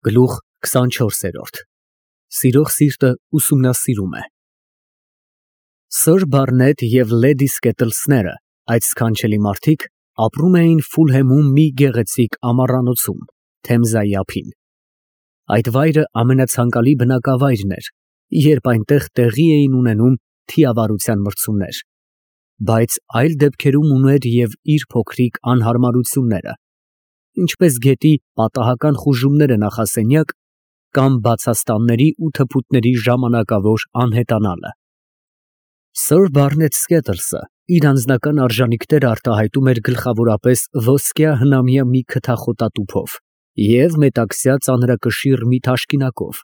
Գլուխ 24 Սիրող սիրտը ուսումնասիրում է Սըր Բարնետ և լեդի Սկետլսները, այդ սքանչելի մարդիկ, ապրում էին Ֆուլհեմում մի գեղեցիկ ամառանոցում, Թեմզայի ափին։ Այդ վայրը ամենացանկալի բնակավայրն էր, երբ այնտեղ տեղի էին ունենում թիավարության մրցումներ, բայց այլ դեպքերում ուներ և իր փոքրիկ անհարմարությունները, ինչպես գետի պատահական խուժումները նախասենյակ կամ բացաստանների ու թփուտների ժամանակավոր անհետանալը։ Սըր Բարնետ Սկետլսը իր անձնական արժանինքները արտահայտում էր գլխավորապես ոսկյա հնամյա մի քթախոտատուփով և մետաքսյա ծանրակշիռ մի թաշկինակով,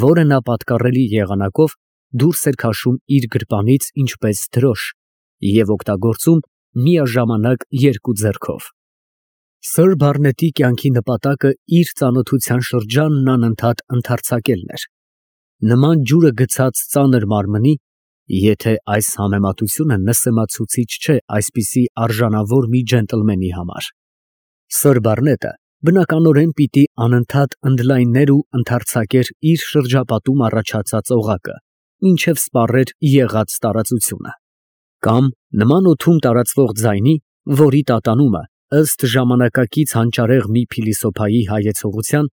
որը նա պատկառելի եղանակով դուրս էր քաշում իր գրպանից ինչպես դրոշ և օգտագործում միաժամանակ երկու ձեռքով։ Սըր Բարնետի կյանքի նպատակը իր ծանոթության շրջանն անընդհատ ընդարձակելն էր, նման ջուրը գցած ծանր մարմնի, եթե այս համեմատությունը նսեմացուցիչ չէ այսպիսի արժանավոր մի ջենտլմենի համար։ Սըր Բարնետը բնականորեն պիտի անընդհատ ընդլայներ ու ընդարձակեր իր շրջապատում առաջացած օղակը, մինչև սպառեր եղած տարածությունը, կամ նման օդում տարածվող ձայնի, որի տատանումը, ըստ ժամանակակից հանճարեղ մի փիլիսոփայի հայեցողության,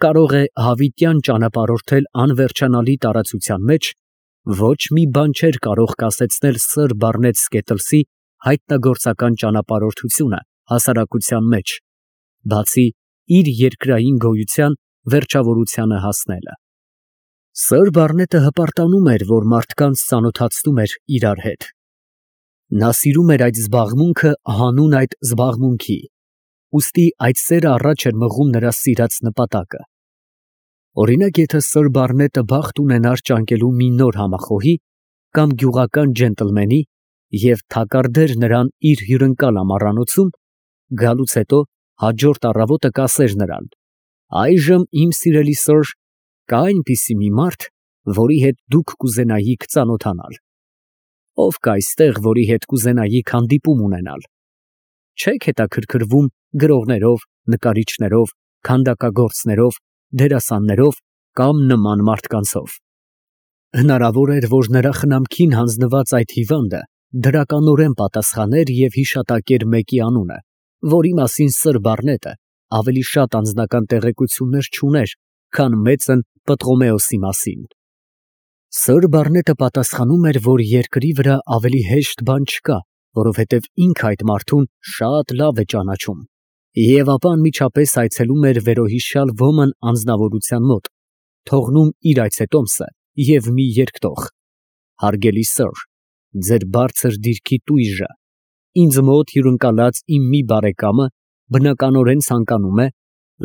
կարող է հավիտյան ճանապարհորդել անվերջանալի տարածության մեջ, ոչ մի բան չէր կարող կասեցնել սըր Բարնետ Սկետլսի հայտնագործական ճանապարհորդությունը հասարակության մեջ, բացի իր երկրային գոյության վերջավորությանը հասնելը։ Սըր Բարնետը հպարտանում էր, որ մարդկանց ծանոթացնում էր իրար հետ։ Նա սիրում էր այդ զբաղմունքը հանուն այդ զբաղմունքի, ուստի այդ սերը առաջ էր մղում նրա սիրած նպատակը։ Օրինակ, եթե սըր Բարնետը բախտ ունենար ճանկելու մի նոր համախոհի կամ գյուղական ջենտլմենի և թակարդեր նրան իր հյուրընկալ ամառանոցում, գալուց հետո հաջորդ առավոտը կասեր նրան. «Այժմ, իմ սիրելի սըր, կա այնպիսի մի մարդ, որի հետ դուք կուզենայիք ծանոթանալ։ Ով կա այստեղ, որի հետ կուզենայիք հանդիպում ունենալ։ Չե՞ք հետաքրքրվում գրողներով, նկարիչներով, քանդակագործներով, դերասաններով կամ նման մարդկանցով»։ Հնարավոր էր, որ նրա խնամքին հանձնված այդ հիվանդը դրականորեն պատասխաներ և հիշատակեր մեկի անունը, որի մասին սըր Բարնետը ավելի շատ անձնական տեղեկություններ չուներ, քան մեծն Պտղոմեոսի մասին։ Սըր Բարնետը պատասխանում էր, որ երկրի վրա ավելի հեշտ բան չկա, որովհետև ինքը այդ մարդուն շատ լավ է ճանաչում, և ապա անմիջապես այցելում էր վերոհիշյալ ոմն անձնավորության մոտ, թողնում իր այցետոմսը և մի երկտող. «Հարգելի սըր, ձեր բարձր դիրքի տույժը, ինձ մոտ հյուրընկալած իմ մի բարեկամը բնականորեն ցանկանում է,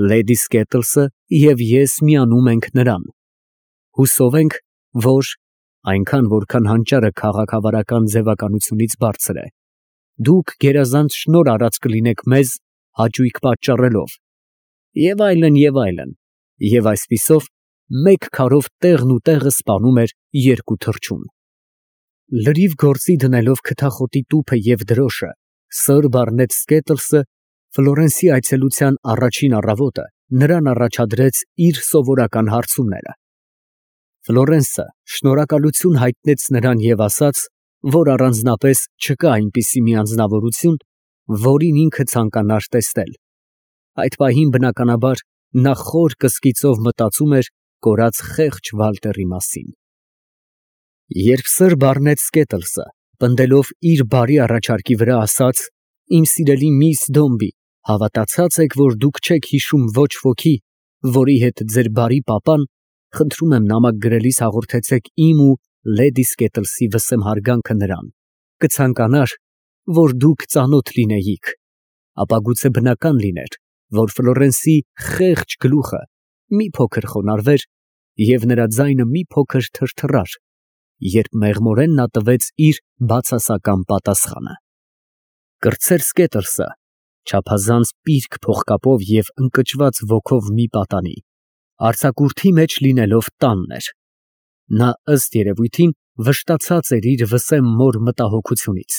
լեդի Սկետլսը և ես միանում ենք նրան։ Հուսով ենք, որ (այնքան, որքան հանճարը քաղաքավարական ձևականությունից բարձր է) դուք գերազանց շնորհ արած կլինեք մեզ հաճույք պատճառելով» և այլն, և այլն, և այսպիսով մեկ քարով տեղն ու տեղը սպանում էր երկու թռչուն։ Լրիվ գործի դնելով քթախոտի տուփը և դրոշը, սըր Բարնետ Սկետլսը Ֆլորենսի այցելության առաջին առավոտը նրան առաջադրեց իր սովորական հարցումները։ Ֆլորենսը շնորհակալություն հայտնեց նրան և ասաց, որ առանձնապես չկա այնպիսի մի անձնավորություն, որին ինքը ցանկանար տեսնել։ Այդ պահին, բնականաբար, նա խոր կսկիծով մտածում էր կորած խեղճ Վալտերի մասին։ Երբ սըր Բարնետ Սկետլսը, պնդելով իր բարի առաջարկի վրա, ասաց. «Իմ սիրելի միս Դոմբի, հավատացած եք, որ դուք չեք հիշում ոչ ոքի, որի հետ ձեր բարի պապան, խնդրում եմ նամակ գրելիս հաղորդեցեք իմ ու լեդի Սկետլսի վսեմ հարգանքը նրան, կցանկանար, որ դուք ծանոթ լինեիք», ապա գուցե բնական լիներ, որ Ֆլորենսի խեղճ գլուխը մի փոքր խոնարհվեր և նրա ձայնը մի փոքր թրթռար, երբ մեղմորեն նա տվեց իր բացասական պատասխանը։ Կրտսեր Սկետլսը, չափազանց պիրկ փողկապով և ընկճված ոգով մի պատանի, արձակուրդի մեջ լինելով տանն էր։ Նա ըստ երևույթին վշտացած էր իր վսեմ մոր մտահոգությունից։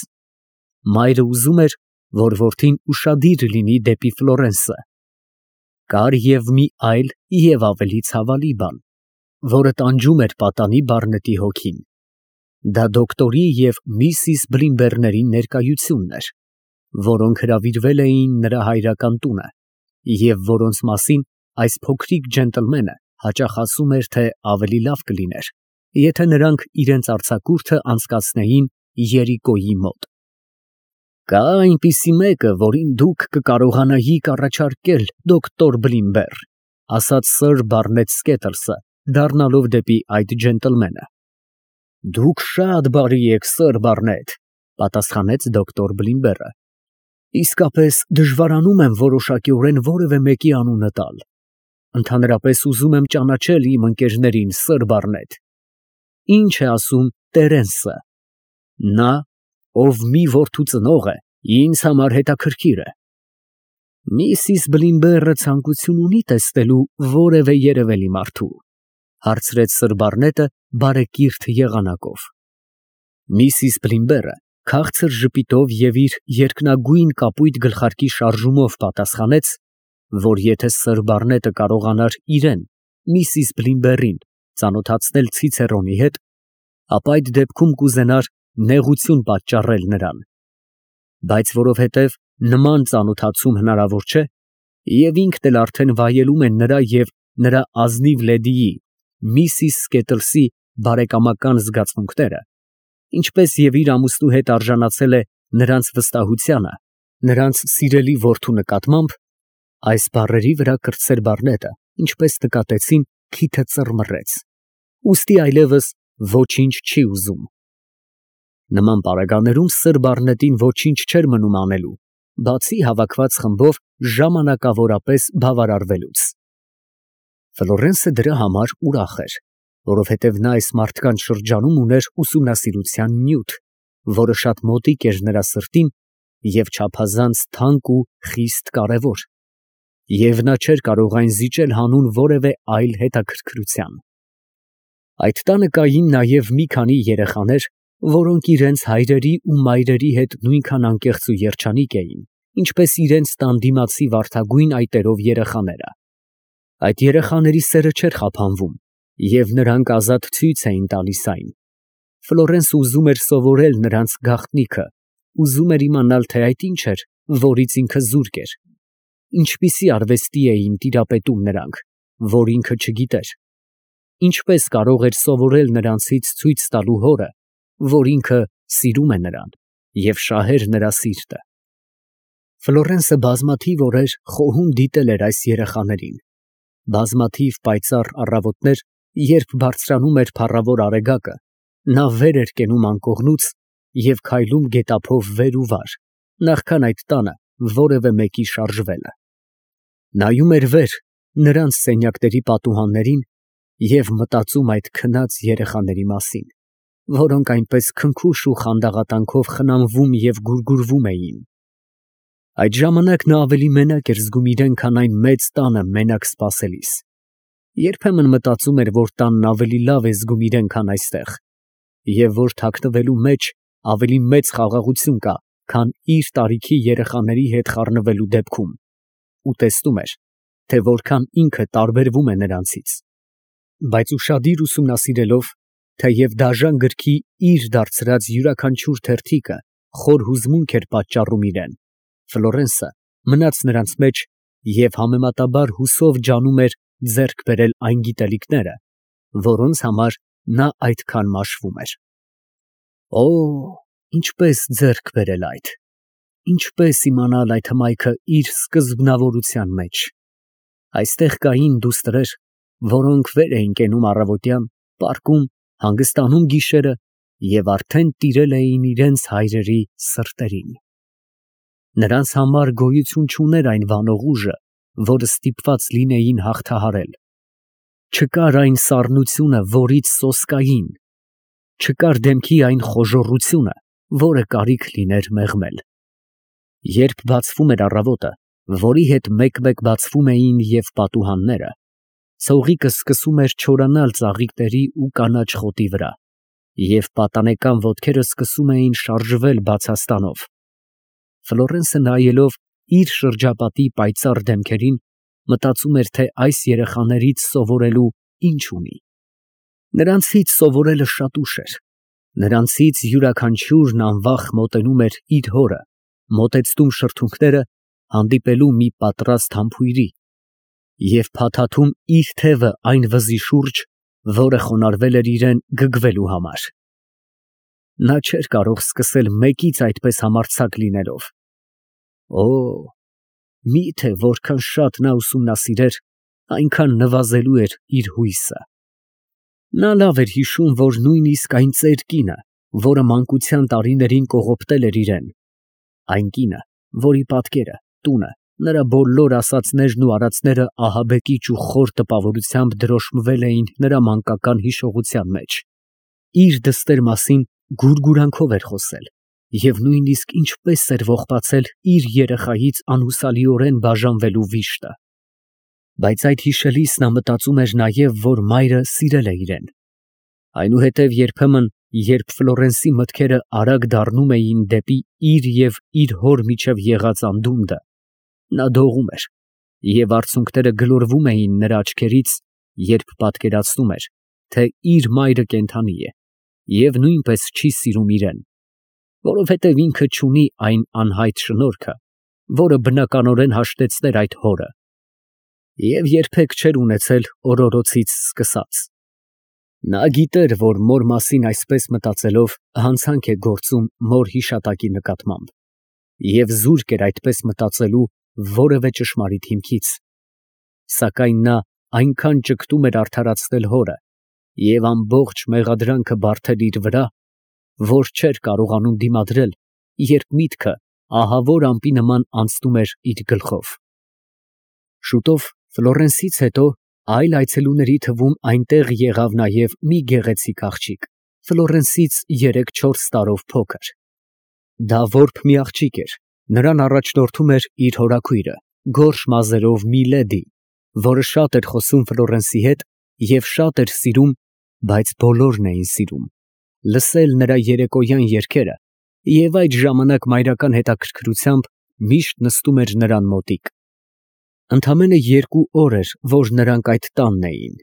Մայրը ուզում էր, որ որդին ուշադիր լինի դեպի Ֆլորենսը։ Կար և մի այլ և ավելի ցավալի բան, որը տանջում էր պատանի Բարնետի հոգին. դա դոկտորի և միսիս Բլիմբերների ներկայությունն էր, որոնք հրավիրվել էին նրա հայրական տունը և որոնց մասին այս փոքրիկ ջենտլմենը հաճախ ասում էր, թե ավելի լավ կլիներ, եթե նրանք իրենց արձակուրդը անցկացնեին Երիկոյի մոտ։ Կա այնպիսի մեկը, որին դուք կկարողանայիք առաջարկել, դոկտոր Բլիմբեր, ասաց սըր Բարնետ Սքեթլսը, դառնալով դեպի այդ ջենտլմենը։ Դուք շատ բարի եք, սըր Բարնետ, պատասխանեց դոկտոր Բլիմբերը։ Իսկապես դժվարանում եմ որոշակիորեն որևէ մեկի անունը տալ։ Ընդհանրապես ուզում եմ ճանաչել իմ ընկերներին, սըր Բարնետ։ Ինչ է ասում Տերենսը։ Նա, ով մի որդու ծնող է, ինձ համար հետաքրքիր է։ Միսիս Բլիմբերը ցանկություն ունի տեսնելու որևէ երևելի մարդու, հարցրեց սըր Բարնետը բարեկիրթ եղանակով։ Միսիս Բլիմբերը քաղցր ժպիտով և իր երկնագույն կապույտ գլխարկի շարժումով պատասխանեց, որ եթե սըր Բարնետը կարողանար իրեն, միսիս Բլիմբերին, ծանոթացնել Ցիցերոնի հետ, ապա այդ դեպքում կուզենար նեղություն պատճառել նրան, բայց որովհետև նման ծանոթացում հնարավոր չէ, և ինքն էլ արդեն վայելում է նրա և նրա ազնիվ լեդիի, միսիս Սկետլսի բարեկամական զգացմունքները, ինչպես և իր ամուսնու հետ արժանացել է նրանց վստահությանը, նրանց սիրելի որդու նկատմամբ, այս բառերի վրա կրտսեր Բարնետը, ինչպես նկատեցին, քիթը ծռմռեց, ուստի այլևս ոչինչ չի ուզում։ Նման պարագաներում սըր Բարնետին ոչինչ չէր մնում անելու, բացի հավաքված խմբով ժամանակավորապես բավարարվելուց։ Ֆլորենսը դրա համար ուրախ էր, որովհետև նա այս մարդկանց շրջանում ուներ ուսումնասիրության նյութ, որը շատ մոտիկ էր նրա սրտին և չափազանց թանկ ու խիստ կարևոր, և նա չէր կարող այն զիջել հանուն որևէ այլ հետաքրքրության։ Այդ տանը կային նաև մի քանի երեխաներ, որոնք իրենց հայրերի ու մայրերի հետ նույնքան անկեղծ ու երջանիկ էին, ինչպես իրենց տան դիմացի վարդագույն այտերով երեխաները։ Այդ երեխաների սերը չէր խափանվում, և նրանք ազատ ցույց էին տալիս այն։ Ֆլորենսը ուզում էր սովորել նրանց գաղտնիքը, ուզում էր իմանալ, թե այդ ինչ էր, որից ինքը զուրկ էր, ինչպիսի արվեստի էին տիրապետում նրանք, որ ինքը չգիտեր, ինչպես կարող էր սովորել նրանցից ցույց տալու հորը, որ ինքը սիրում է նրան և շահեր նրա սիրտը։ Ֆլորենսը բազմաթիվ օրեր խոհում դիտել էր այս երեխաներին, բազմաթիվ պայծառ առավոտներ, երբ բարձրանում էր փառավոր արեգակը, նա վեր էր կենում անկողնուց և քայլում գետափով վեր ու վար, նախքան այդ տանը որևէ մեկի շարժվելը։ Նայում էր վեր նրանց սենյակների պատուհաններին և մտածում այդ քնած երեխաների մասին, որոնք այնպես քնքուշ ու խանդաղատանքով խնամվում և գուրգուրվում էին։ Այդ ժամանակ նա ավելի մենակ էր զգում իրեն, քան այն մեծ տանը մենակ սպասելիս։ Երբեմն մտածում էր, որ տանն ավելի լավ է զգում իրեն, քան այստեղ, և որ թաքնվելու մեջ ավելի մեծ խաղաղություն կա, քան իր տարիքի երեխաների հետ խառնվելու դեպքում, ու տեսնում էր, թե որքան ինքը տարբերվում է նրանցից։ Բայց ուշադիր ուսումնասիրելով, թեև դաժան գրքի իր դարձրած յուրաքանչյուր թերթիկը խոր հուզմունք էր պատճառում իրեն, Ֆլորենսը մնաց նրանց մեջ և համեմատաբար հուսով ջանում էր ձեռք բերել այն գիտելիքները, որոնց համար նա այդքան մաշվում էր։ Օ, ինչպես ձեռք բերել այդ, ինչպես իմանալ այդ հմայքը իր սկզբնավորության մեջ։ Այստեղ կային դուստրեր, որոնք վեր էին կենում առավոտյան, պառկում, հանգստանում գիշերը և արդեն տիրել էին իրենց հայրերի սրտերին։ Նրանց համար գոյություն չուներ այն վանող ուժը, որը ստիպված լինեին հաղթահարել։ Չկար այն սառնությունը, որից սոսկային, չկար դեմքի այն խոժոռությունը, որը կարիք լիներ մեղմել։ Երբ բացվում էր առավոտը, որի հետ մեկ-մեկ բացվում էին և պատուհանները, ցողիկը սկսում էր չորանալ ծաղիկների ու կանաչ խոտի վրա, և պատանեկան ոտքերը սկսում էին շարժվել բացաստանով։ Ֆլորենսը նայելով իր շրջապատի պայծառ դեմքերին, մտածում էր, թե այս երեխաներից սովորելու ինչ ունի։ Նրանցից սովորելը շատ ուշ էր։ Նրանցից յուրաքանչյուրն անվախ մոտենում էր իր հորը, մոտեցնում շրթունքները, հանդիպելու մի պատրաստ համբույրի և փաթաթում իր թևը այն վզի շուրջ, որը խոնարհվել էր իրան գգվելու համար։ Նա չէր կարող սկսել մեկից այդպես համարձակ լինելով։ Օ, միթե որքան շատ նա ուսումնասիրեր, այնքան նվազելու էր իր հույսը։ Նա լավ էր հիշում, որ նույնիսկ այն ծեր կինը, որը մանկության տարիներին կողոպտել էր իրան, այն կինը, որի պատկերը, տունը, նրա բոլոր ասածներն ու արածները ահաբեկիչ ու խոր տպավորությամբ դրոշմվել էին նրա մանկական հիշողության մեջ, իր դստեր մասին գուրգուրանքով էր խոսել և նույնիսկ ինչպես էր ողբացել իր երեխայից անհուսալիորեն բաժանվելու վիշտը։ Բայց այդ հիշելիս նա մտածում էր նաև, որ մայրը սիրել է իրան։ Այնուհետև երբեմն, երբ Ֆլորենսի մտքերը արագ դառնում էին դեպի իր և իր հոր միջև եղած անդունդը, նա դողում էր, և արցունքները գլորվում էին նրա աչքերից, երբ պատկերացնում էր, թե իր մայրը կենդանի է և նույնպես չի սիրում իրան, որովհետև ինքը չունի այն անհայտ շնորհքը, որը բնականորեն հաշտեցներ այդ հորը, և երբեք չէր ունեցել օրորոցից սկսած։ Նա գիտեր, որ մոր մասին այսպես մտածելով հանցանք է գործում մոր հիշատակի նկատմամբ, և զուրկ էր այդպես մտածելու որևէ ճշմարիտ հիմքից, սակայն նա այնքան ճգտում էր արդարացնել հորը և ամբողջ մեղադրանքը բարդել իր վրա, որ չէր կարողանում դիմադրել, երբ միտքը ահավոր ամպի նման անցնում էր իր գլխով։ Շուտով Ֆլորենսից հետո այլ այցելուների թվում այնտեղ եղավ նաև մի գեղեցիկ աղջիկ, Ֆլորենսից 3-4 տարով փոքր։ Դա որբ մի աղջիկ էր, նրան առաջնորդում էր իր հորաքույրը, գորշ մազերով մի լեդի, որը շատ էր խոսում Ֆլորենսի հետ և շատ էր սիրում, բայց բոլորն էին սիրում, լսել նրա երեկոյան երգերը և այդ ժամանակ մայրական հետաքրքրությամբ միշտ նստում էր նրան մոտիկ։ Ընդամենը 2 օր էր, որ նրանք այդ տանն էին,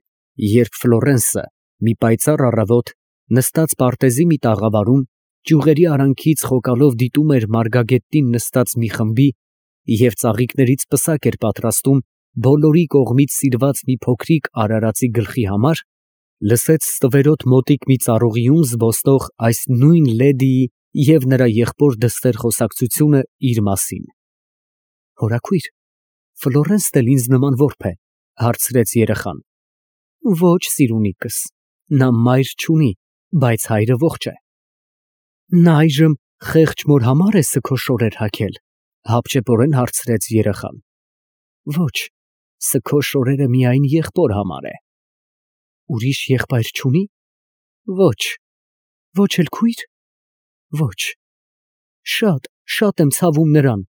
երբ Ֆլորենսը մի պայծառ առավոտ, նստած պարտեզի մի տաղավարում, ճյուղերի արանքից խոկալով դիտում էր մարգագետին նստած մի խմբի և ծաղիկներից պսակ էր պատրաստում բոլորի կողմից սիրված մի փոքրիկ արարածի գլխի համար, լսեց ստվերոտ մոտիկ մի ծառուղիում զբոսնող այս նույն լեդիի և նրա եղբոր դստեր խոսակցությունը իր մասին։ Հորաքույր, Ֆլորենսն էլ ինձ նման որբ է, հարցրեց երեխան։ Ոչ, սիրունիկս, նա մայր չունի, բայց հայրը ողջ է։ Նա այժմ խեղճ մոր համար է սգո շորեր հագել, հապճեպորեն հարցրեց երեխան։ Ոչ, սգո շորերը միայն եղբոր համար է։ Ուրիշ եղբայր չունի։ Ոչ, ոչ էլ քույր։ Ոչ, շատ եմ ցավում նրան,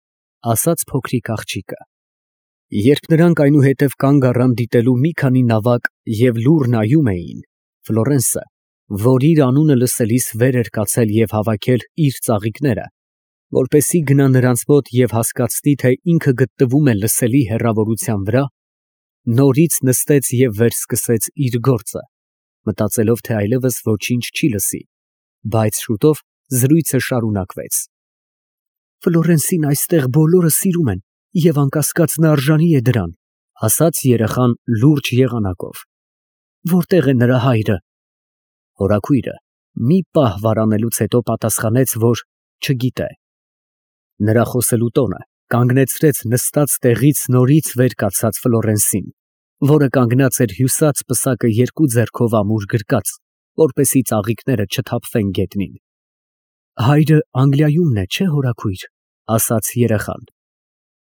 ասաց փոքրիկ աղջիկը։ Երբ նրանք այնուհետև կանգ առան դիտելու մի քանի նավակ և լուռ նայում էին, Ֆլորենսը, որ իր անունը լսելիս վեր էր կացել և հավաքել իր ծաղիկները, որպեսզի գնա նրանց մոտ և հասկացնի, թե ինքը գտնվում է լսելի հեռավորության վրա, նորից նստեց և վերսկսեց իր գործը, մտածելով, թե այլևս ոչինչ չի լսի, բայց շուտով զրույցը շարունակվեց։ Ֆլորենսին այստեղ բոլորը սիրում են և անկասկած նա արժանի է դրան, ասաց երեխան լուրջ եղանակով։ Որտե՞ղ է նրա հայրը։ Հորաքույրը մի պահ վարանելուց հետո պատասխանեց, որ չգիտե։ Նրա խոսելու տոնը կանգնեցրեց նստած տեղից նորից վեր կացած Ֆլորենսին, որը կանգնած էր հյուսած պսակը 2 ձեռքով ամուր գրկած, որպեսզի ծաղիկները չթափվեն գետնին։ Հայրը Անգլիայումն է, չէ՞ հորաքույր, ասաց երեխան։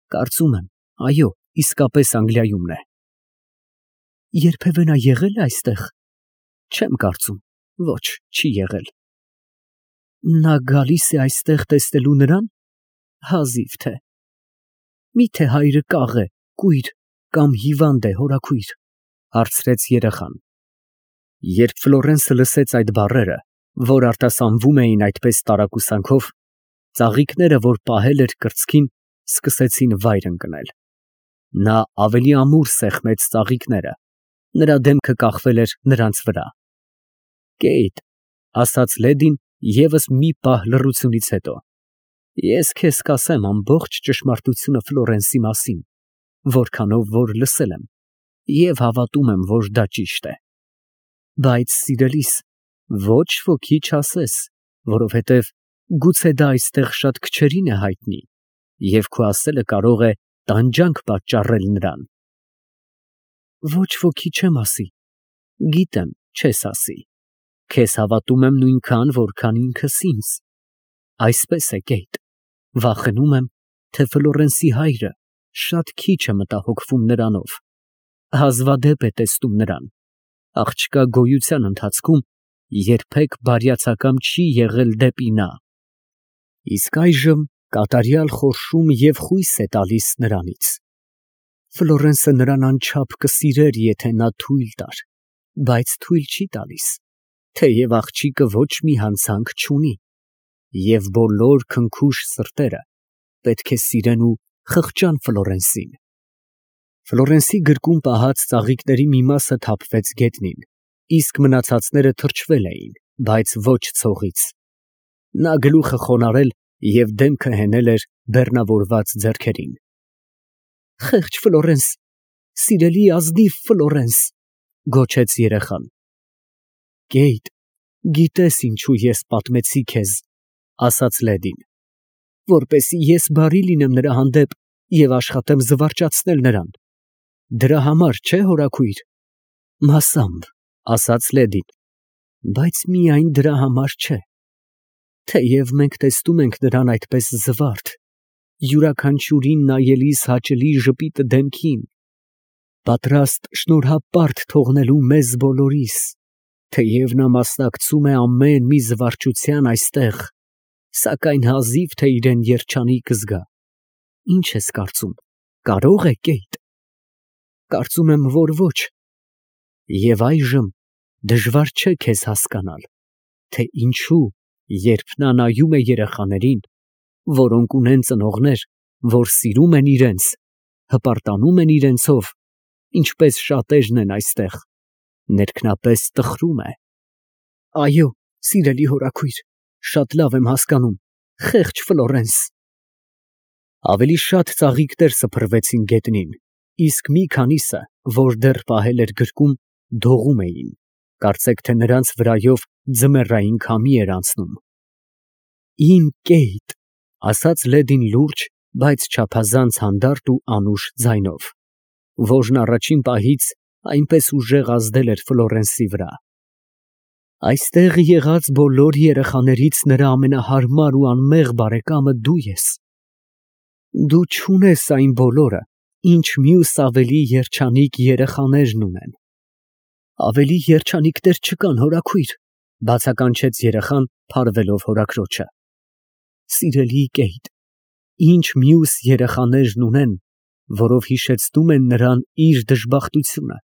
Կարծում եմ, այո, իսկապես Անգլիայումն է։ Երբևէ նա եղել է այստեղ։ Չեմ կարծում, ոչ, չի եղել։ Նա գալիս է այստեղ տեսնելու նրան։ Հազիվ թե։ Միթե հայրը կաղ է, կույր կամ հիվանդ է, հորաքույր, հարցրեց երեխան։ Երբ Ֆլորենսը լսեց այդ բառերը, որ արտասանվում էին այդպես տարակուսանքով, ծաղիկները, որ պահել էր կրծքին, սկսեցին վայր ընկնել։ Նա ավելի ամուր սեղմեց ծաղիկները, նրա դեմքը կախվել էր նրանց վրա։ Կեյթ, ասաց լեդին ևս մի պահ լռությունից հետո, ես քեզ կասեմ ամբողջ ճշմարտությունը Ֆլորենսի մասին, որքանով որ լսել եմ և հավատում եմ, որ դա ճիշտ է։ Բայց սիրելիս, ոչ ոքի չասես, որովհետև գուցե դա այստեղ շատ քչերին է հայտնի, և քո ասելը կարող է տանջանք պատճառել նրան։ Ոչ ոքի չեմ ասի, գիտեմ, չես ասի, քեզ հավատում եմ նույնքան, որքան ինքս ինձ։ Այսպես է, Կեյթ, վախենում եմ, թե Ֆլորենսի հայրը շատ քիչ է մտահոգվում նրանով, հազվադեպ է տեսնում նրան, աղջկա գոյության ընթացքում երբեք բարյացակամ չի եղել դեպի նա, իսկ այժմ կատարյալ խորշում և խույս է տալիս նրանից։ Ֆլորենսը նրան անչափ կսիրեր, եթե նա թույլ տար, բայց թույլ չի տալիս, թեև աղջիկը ոչ մի հանցանք չունի, և բոլոր քնքուշ սրտերը պետք է սիրեն ու խղճան Ֆլորենսին։ Ֆլորենսի գրկում պահած ծաղիկների մի մասը թափվեց գետնին, իսկ մնացածները թրջվել էին, բայց ոչ ցողից։ Նա գլուխը խոնարհել և դեմքը հենել էր բեռնավորված ձեռքերին։ Խեղճ Ֆլորենս, սիրելի ազնիվ Ֆլորենս, գոչեց երեխան։ Կեյթ, գիտես ինչու ես պատմեցի քեզ, ասաց լեդին, որպեսզի ես բարի լինեմ նրա հանդեպ և աշխատեմ զվարճացնել նրան։ Դրա համար, չէ՞, հորաքույր։ Մասամբ, ասաց լեդին, բայց միայն դրա համար չէ։ Թեև մենք տեսնում ենք նրան այդպես զվարթ, յուրաքանչյուրին նայելիս հաճելի ժպիտը դեմքին, պատրաստ շնորհապարտ թողնելու մեզ բոլորիս, թեև նա մասնակցում է ամեն մի զվարճության այստեղ, սակայն հազիվ թե իրեն երջանիկ կզգա։ Ինչ ես կարծում, կարո՞ղ է, Կեյթ։ Կարծում եմ, որ ոչ։ Եվ այժմ դժվար չէ քեզ հասկանալ, թե ինչու, երբ նա նայում է երեխաներին, որոնք ունեն ծնողներ, որ սիրում են իրենց, հպարտանում են իրենցով, ինչպես շատերն են այստեղ, ներքնապես տխրում է։ Այո, սիրելի հորաքույր, շատ լավ եմ հասկանում, խեղճ Ֆլորենս։ Ավելի շատ ծաղիկներ սփռվեցին գետնին, իսկ մի քանիսը, որ դեռ պահել էր գրկում, դողում էին, կարծեք թե նրանց վրայով ձմեռային քամի էր անցնում։ Իմ Կեյթ, ասաց լեդին լուրջ, բայց չափազանց հանդարտ ու անուշ ձայնով, որն առաջին պահից այնպես ուժեղ ազդել էր Ֆլորենսի վրա։ Այստեղ եղած բոլոր երեխաներից նրա ամենահարմար ու անմեղ բարեկամը դու ես։ Դու չունես այն բոլորը, ինչ մյուս ավելի երջանիկ երեխաներն ունեն։ Ավելի երջանիկներ չկան, հորաքույր, բացականչեց երեխան, փարվելով հորաքրոջը։ Սիրելի Կեյթ, ինչ մյուս երեխաներն ունեն, որով հիշեցնում են նրան իր դժբախտությունը,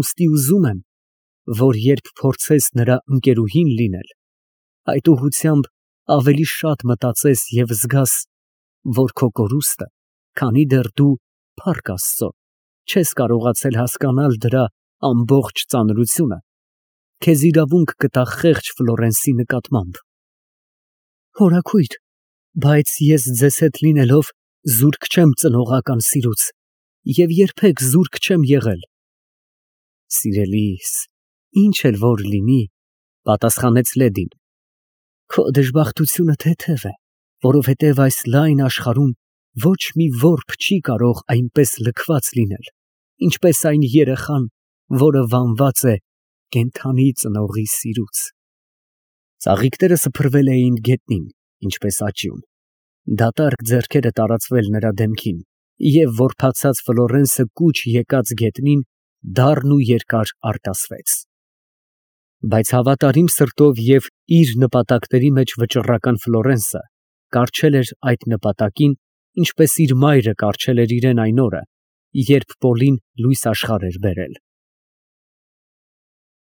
ուստի ուզում եմ, որ երբ փորձես նրա ընկերուհին լինել, այդ ուղղությամբ ավելի շատ մտածես և զգաս, որ քո կորուստը, քանի դեռ դու, փառք Աստծո, չես կարողացել հասկանալ դրա ամբողջ ծանրությունը, քեզ իրավունք կտա խեղճ Ֆլորենսի նկատմամբ։ Հորաքույր, բայց ես ձեզ հետ լինելով զուրկ չեմ ծնողական սիրուց և երբեք զուրկ չեմ եղել։ Սիրելիս, ինչ էլ որ լինի, պատասխանեց լեդին, քո դժբախտությունը թեթև է, որովհետև այս լայն աշխարհում ոչ մի որբ չի կարող այնպես լքված լինել, ինչպես այն երեխան, որը վանված է կենդանի ծնողի սիրուց։ Ծաղիկները սփռվել էին գետնին, ինչպես աջյուն, դատարկ ձեռքերը տարածվել նրա դեմքին, և որբացած Ֆլորենսը կուչ եկած գետնին դառն ու երկար արտասվեց։ Բայց հավատարիմ սրտով և իր նպատակների մեջ վճռական Ֆլորենսը կառչել էր այդ նպատակին, ինչպես իր մայրը կառչել էր իրեն այն օրը, երբ Պոլին լույս աշխարհ էր բերել։